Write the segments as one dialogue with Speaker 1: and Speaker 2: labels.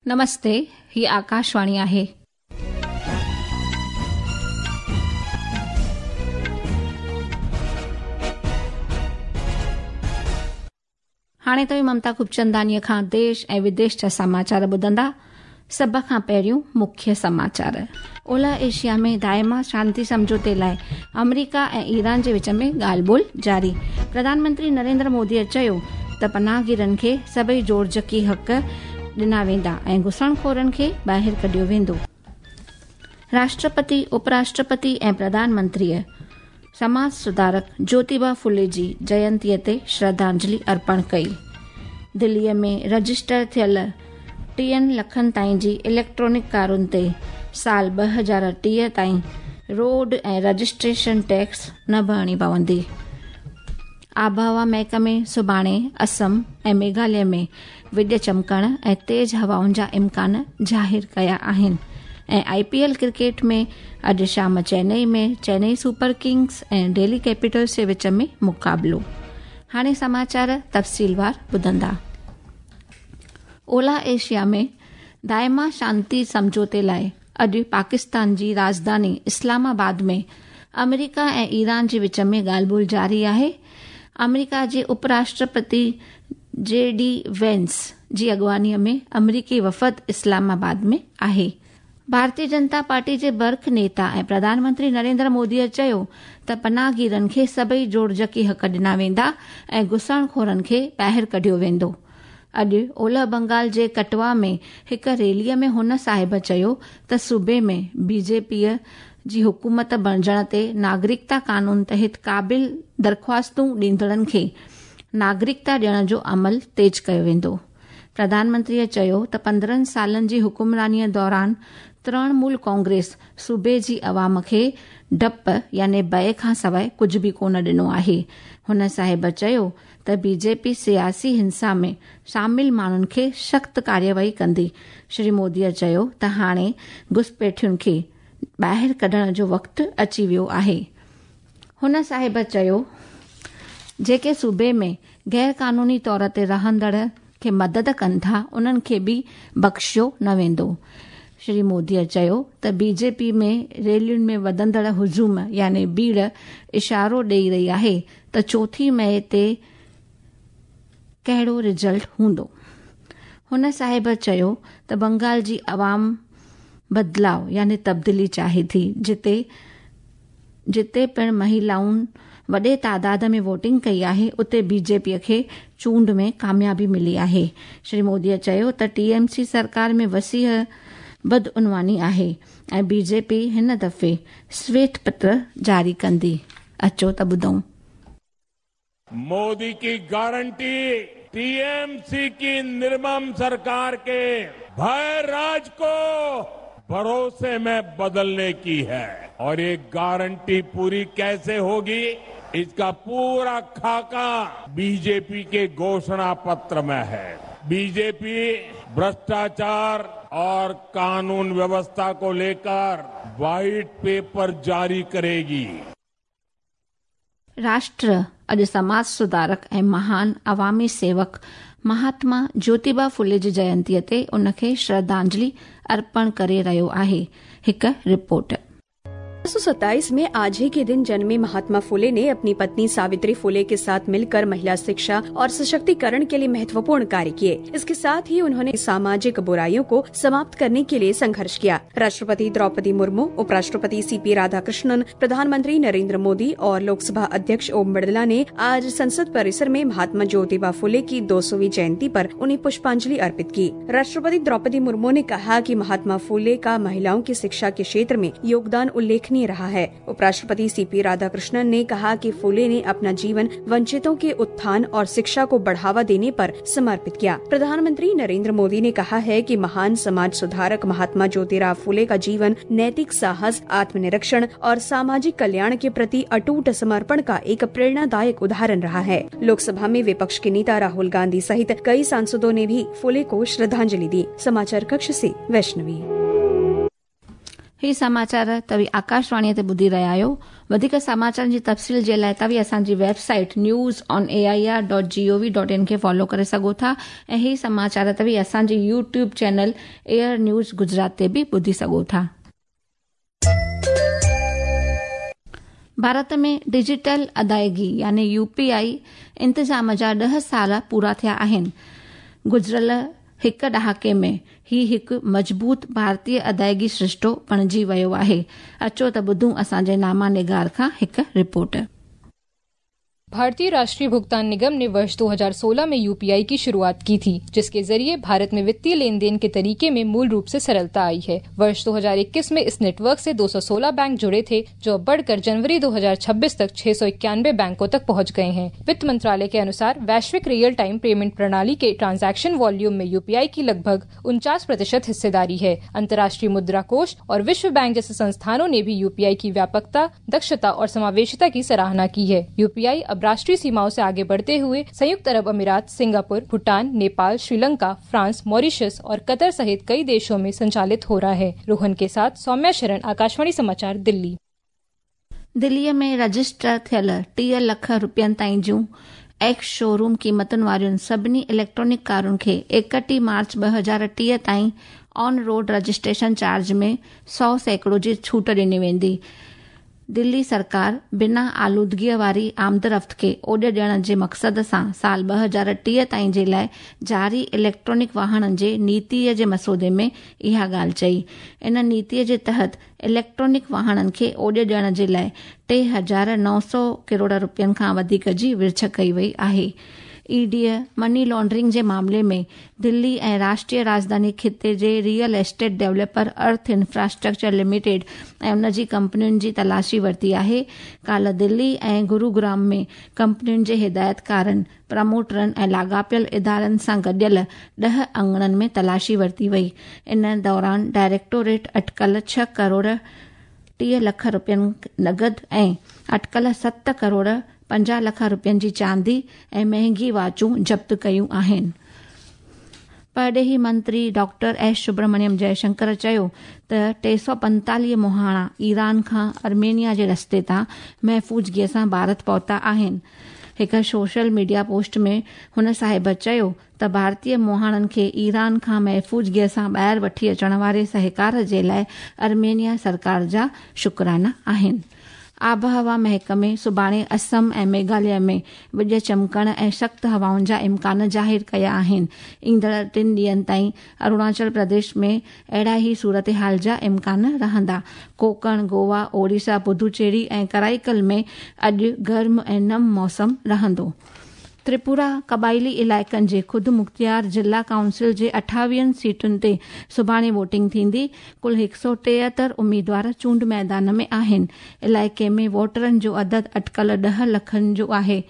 Speaker 1: नमस्ते, ही आकाशवाणी आहे. हाणे तव्हीं ममता खूबचंदानीअ खां देश ऐं विदेश जा समाचार ॿुधंदा. सभ खां पहिरियों मुख्य समाचार. ओलह एशिया में दायमा शांति सम्झौते लाइ अमरीका ऐं ईरान जे विच में ॻाल्हि ॿोल जारी. प्रधानमंत्री नरेंद्र मोदीअ चयो त पनाहगीरनि खे सभई जोड़जकी हक़ ॾिना वेंदा ऐं घुसणखोरनि खे ॿाहिरि कढियो वेंदो. राष्ट्रपति, उपराष्ट्रपति ऐं प्रधानमंत्रीअ समाज सुधारक ज्योतिबा फुले जी जयंतीअ ते श्रद्धांजलि अर्पण कई. दिल्लीअ में रजिस्टर थियल 30 लखनि ताईं जी इलेक्ट्रॉनिक कारुनि ते साल 2030 ताईं रोड ऐं रजिस्ट्रेशन टैक्स न भरणी पवंदी. आबहवा महकमे सुभाणे असम ऐं मेघालय में विॼ चमकण ऐं तेज़ हवाउनि जा इम्कान ज़ाहिर कया आहिनि. ऐं IPL cricket में अॼु शाम चेन्नई में चेन्नई सुपर किंग्स ऐं डेल्ही कैपिटल्स जे विच में मुक़ाबिलो. हाणे समाचार तफ़सीलवार ॿुधंदा. ओलह एशिया में दायमा शांति सम्झौते लाइ अॼु पाकिस्तान जी राजधानी इस्लामाबाद में अमरीका ऐं ईरान जे विच में ॻाल्हि ॿोल जारी आहे. अमरीका जे उपराष्ट्रपति जे डी वेंस जी अॻुवानीअ में अमरीकी वफ़द इस्लामाबाद में आहे. भारतीय जनता पार्टी जे बर्ख नेता ऐं प्रधानमंत्री नरेंद्र मोदीअ चयो त पनाहगीरनि खे सभई जोड़जकी हक़ ॾिना वेंदा ऐं घुसणखोरनि खे ॿाहिरि कढियो वेंदो. अॼु ओलह बंगाल जे कटवा में हिकु रैलीअ में हुन साहिब चयो त सूबे में बीजेपीअ जी हुकूमत बणिजण ते नागरिकता कानून तहत क़ाबिल दरख़्वास्तूं ॾींदड़नि खे नागरिकता ॾियण जो अमल तेज़ कयो वेंदो. प्रधानमंत्रीअ चयो त 15 सालनि जी हुकुमरानीअ दौरान तृणमूल कांग्रेस सूबे जी अवाम खे डप यानी भय खां सवाइ कुझु बि कोन ॾिनो आहे. हुन साहिब चयो त बीजेपी सियासी हिंसा में शामिल माण्हुनि खे सख़्तु कार्यवाही कंदी. श्री मोदीअ चयो त हाणे घुसपैठियुनि खे ॿाहिरि कढण जो वक़्तु अची वियो आहे. हुन साहिब चयो जेके सूबे में गैर कानूनी तौर ते रहंदड़ खे मदद कनि था उन्हनि खे बि बख़्शियो न वेंदो. श्री मोदीअ चयो त बीजेपी में रैलियुनि में वधंदड़ हुजूम यानी भीड़ इशारो ॾेई रही आहे त 4 मई ते कहिड़ो रिज़ल्ट हूंदो. हुन साहिब चयो त बंगाल जी अवाम बदिलाव यानी तब्दीली चाहे थी, जिते पिणु महिलाउनि वॾे तादाद में वोटिंग कई आहे उते बीजेपीअ खे चूंड में कामयाबी मिली आहे. श्री मोदीअ चयो त टीएमसी सरकार में वसीह बदउनवानी आहे ऐं बीजेपी हिन दफ़े श्वेत पत्र जारी कंदी. अचो त ॿुधूं.
Speaker 2: मोदी की गारंटी टीएमसी की निर्मम सरकार के भय राज को भरोसे में बदलने की है और ये गारंटी पूरी कैसे होगी इसका पूरा खाका बीजेपी के घोषणा पत्र में है. बीजेपी भ्रष्टाचार और कानून व्यवस्था को लेकर व्हाइट पेपर जारी करेगी.
Speaker 1: राष्ट्र अॼु समाज सुधारक ऐं महान अवामी सेवक महात्मा ज्योतिबा फुले जी जयंतीअ ते उनखे श्रद्धांजलि अर्पण करे रहियो आहे. हिकु रिपोर्ट.
Speaker 3: 1927 में आज ही के दिन जन्मे महात्मा फुले ने अपनी पत्नी सावित्री फुले के साथ मिलकर महिला शिक्षा और सशक्तिकरण के लिए महत्वपूर्ण कार्य किए. इसके साथ ही उन्होंने सामाजिक बुराइयों को समाप्त करने के लिए संघर्ष किया. राष्ट्रपति द्रौपदी मुर्मू, उपराष्ट्रपति सीपी राधाकृष्णन, प्रधानमंत्री नरेंद्र मोदी और लोकसभा अध्यक्ष ओम बिरला ने आज संसद परिसर में महात्मा ज्योतिबा फुले की 200वीं जयंती पर उन्हें पुष्पांजलि अर्पित की. राष्ट्रपति द्रौपदी मुर्मू ने कहा कि महात्मा फुले का महिलाओं की शिक्षा के क्षेत्र में योगदान उल्लेखनीय रहा है. उपराष्ट्रपति सीपी राधाकृष्णन ने कहा कि फुले ने अपना जीवन वंचितों के उत्थान और शिक्षा को बढ़ावा देने पर समर्पित किया. प्रधानमंत्री नरेंद्र मोदी ने कहा है कि महान समाज सुधारक महात्मा ज्योतिराव फुले का जीवन नैतिक साहस, आत्मनिरीक्षण और सामाजिक कल्याण के प्रति अटूट समर्पण का एक प्रेरणादायक उदाहरण रहा है. लोकसभा में विपक्ष के नेता राहुल गांधी सहित कई सांसदों ने भी फुले को श्रद्धांजलि दी. समाचार कक्ष से वैष्णवी.
Speaker 1: ही समाचार तव्हीं आकाशवाणीअ ते ॿुधी रहिया आहियो। वधीक समाचारनि जी तफ़सील जे लाइ तव्हीं असांजी website news on A I R dot G O V dot in खे फॉलो करे सघो था ऐं ही समाचार तव्हीं असांजे YouTube channel AIR news Gujarat ते बि ॿुधी सघो था। भारत में डिजिटल अदायगी यानी यूपीआई इंतज़ाम जा 10 साल पूरा थिया आहिनि। गुज़िरियल हिकु ॾहाके में ही हिकु मज़बूत भारतीय अदायगी सृष्टो बणिजी वियो आहे। अचो त ॿुधूं असांजे नामा निगार खां हिकु रिपोर्ट।
Speaker 4: भारतीय राष्ट्रीय भुगतान निगम ने वर्ष 2016 में यूपीआई की शुरुआत की थी, जिसके जरिए भारत में वित्तीय लेन then के तरीके में मूल रूप से सरलता आई है। वर्ष 2021 में इस नेटवर्क से 216 बैंक जुड़े थे, जो अब बढ़कर जनवरी 2026 तक 691 बैंकों तक पहुंच गए हैं। वित्त मंत्रालय के अनुसार वैश्विक रियल टाइम पेमेंट प्रणाली के ट्रांजैक्शन वॉल्यूम में यूपीआई की लगभग 49% हिस्सेदारी है। अंतर्राष्ट्रीय मुद्रा कोष और विश्व बैंक जैसे संस्थानों ने भी यूपीआई की व्यापकता, दक्षता और समावेशिता की सराहना की है। यूपीआई अब राष्ट्रीय सीमाओं से आगे बढ़ते हुए संयुक्त अरब अमीरात, Singapore, Bhutan, Nepal, Sri Lanka, France, Mauritius और कतर सहित कई देशों में संचालित हो रहा है। रोहन के साथ सौम्या शरण, आकाशवाणी समाचार, दिल्ली।
Speaker 1: दिल्लीअ में रजिस्टर थियल 30 लख रुपयनि ताईं जूं एक्स शोरूम क़ीमतुनि वारियुनि सभिनी इलेक्ट्रॉनिक कारुनि खे 31 मार्च 2030 ताईं ऑन रोड रजिस्ट्रेशन चार्ज में 100% जी छूट ॾिनी वेंदी। दिल्ली सरकार बिना आलूदगीअ वारी आमदरफ़्त खे ओॾ ॾियण जे मक़सद सां साल 2030 ताईं जे लाइ जारी इलेक्ट्रॉनिक वाहननि जे नीतीअ जे मसौदे में इहा ॻाल्हि चई। इन नीतीअ जे तहत इलेक्ट्रॉनिक वाहननि खे ओॾ ॾियण जे लाइ 3,900 करोड़ रुपयनि खां वधीक जी विर्छ कई वई आहे। ईडीअ मनी लॉन्ड्रिंग जे मामले में दिल्ली ऐं राष्ट्रीय राजधानी ख़िते जे real estate developer Arth infrastructure limited ऐं उन जी कंपनियुनि जी तलाशी वरिती आहे। काल्ह दिल्ली ऐं गुरुग्राम में कंपनियुनि जे हिदायतकारनि, प्रमोटरनि ऐं लाॻापियल इदारनि सां गॾियल 10 अंगणनि में तलाशी वरिती वई। इन दौरान डायरेक्टोरेट अटकल 6 करोड़ 30 लख रुपयनि नगद ऐं अटकल 7 करोड़ 50 लख रुपयनि जी चांदी ऐं महंगी वाचूं ज़ब्त कयूं आहिनि। परॾेही मंत्री डॉक्टर एस सुब्रमण्यम जयशंकर चयो त 345 मुहाणा ईरान खां आर्मेनिया जे रस्ते तां महफ़ूज़गीअ सां भारत पहुता आहिनि। हिकु सोशल मीडिया पोस्ट में हुन साहिब चयो त भारतीय मुहाणनि खे ईरान खां महफ़ूज़गीअ सां ॿाहिरि वठी अचण वारे सहकार जे लाइ आर्मेनिया सरकार जा शुक्राना आहिनि। आबहवा महकमे सुभाणे असम ऐं मेघालय में विॼ चमकण ऐं सख़्तु हवाउनि जा इम्कान ज़ाहिर कया आहिनि। ईंदड़ 3 ॾींहनि ताईं अरुणाचल प्रदेश में अहिड़ा ई सूरत हाल जा इम्कान रहंदा। कोंकण, गोवा, ओडिशा, पुदुचेरी ऐं कराईकल में अॼु गर्म ऐं नम मौसम रहंदो। त्रिपुरा क़बाइली इलाइक़नि जे ख़ुदि मुख़्तियार ज़िला काउंसिल जे 28 सीटुनि ते सुभाणे वोटिंग थींदी। कुल 173 उम्मीदवार चूंड मैदान में आहिनि। इलाइक़े में वोटरनि जो अदद अटकल 10 लखनि जो आहे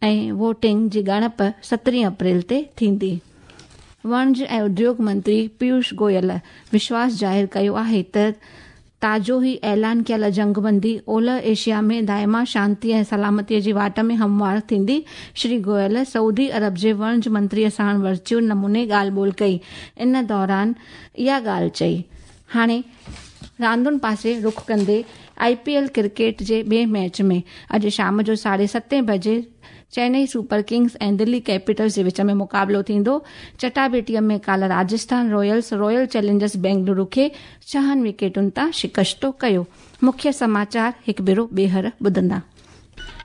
Speaker 1: ऐं वोटिंग जी ॻणप 17 अप्रैल ते थींदी। वणज ऐं उद्योग मंत्री पीयूष गोयल विश्वास ज़ाहिर कयो आहे त ताज़ो ई ऐलान कयल जंगबंदी ओलह एशिया में दाइमा शांति ऐं सलामतीअ जी वाट में हमवार थींदी। श्री गोयल सऊदी अरब जे वणज मंत्रीअ सां वर्चुअल नमूने ॻाल्हि ॿोल कई। इन दौरान इहा ॻाल्हि चई। हाणे रांदुनि पासे रुख कंदे IPL cricket जे ॿिए मैच में अॼु शाम जो 7:30 बजे चेन्नई सुपर किंग्स ऐं दिल्ली कैपिटल्स जे विच में मुक़ाबिलो थींदो। चटाबेटीअ में काल्ह Rajasthan Royals Royal Challengers Bengaluru खे 6 विकेटुनि तां शिकस्तो कयो। मुख्य समाचार हिकु भेरो ॿीहर ॿुधंदा।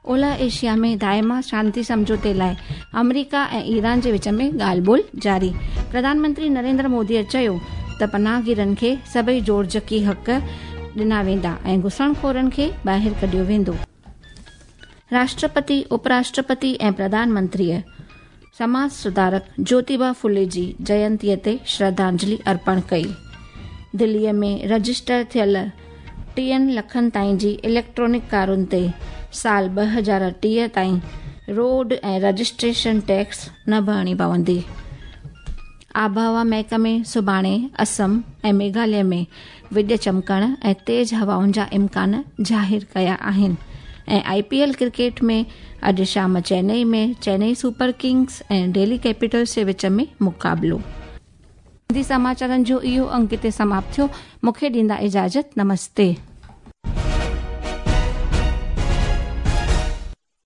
Speaker 1: ओलह एशिया में दाइमा शांति सम्झौते लाइ अमरीका ऐं ईरान जे विच में ॻाल्हि ॿोल जारी। प्रधानमंत्री नरेंद्र मोदीअ चयो त पनाहगीरनि खे सभई जोड़जकी हक़ ॾिना वेंदा ऐं घुसणखोरनि खे ॿाहिरि कढियो वेंदो। राष्ट्रपति, उपराष्ट्रपति ऐं प्रधानमंत्रीअ समाज सुधारक ज्योतिबा फुले जी जयंतीअ ते श्रद्धांजलि अर्पण कई। दिल्लीअ में रजिस्टर थियल 30 लखनि ताईं जी इलेक्ट्रॉनिक कारुनि ते साल 2030 ताईं रोड ऐं रजिस्ट्रेशन टैक्स न भरणी पवंदी। आबहवा महकमे सुभाणे असम ऐं मेघालय में विॼ चमकण ऐं तेज़ हवाउनि जा इम्कान ज़ाहिर कया आहिनि। ऐं IPL cricket में अॼु शाम चेन्नई में चेन्नई सुपर किंग्स ऐं दिल्ली कैपिटल्स जे विच में मुक़ाबिलो। सिंधी समाचारनि जो इहो अंक हिते समाप्त थियो। मूंखे ॾींदा इजाज़त। नमस्ते।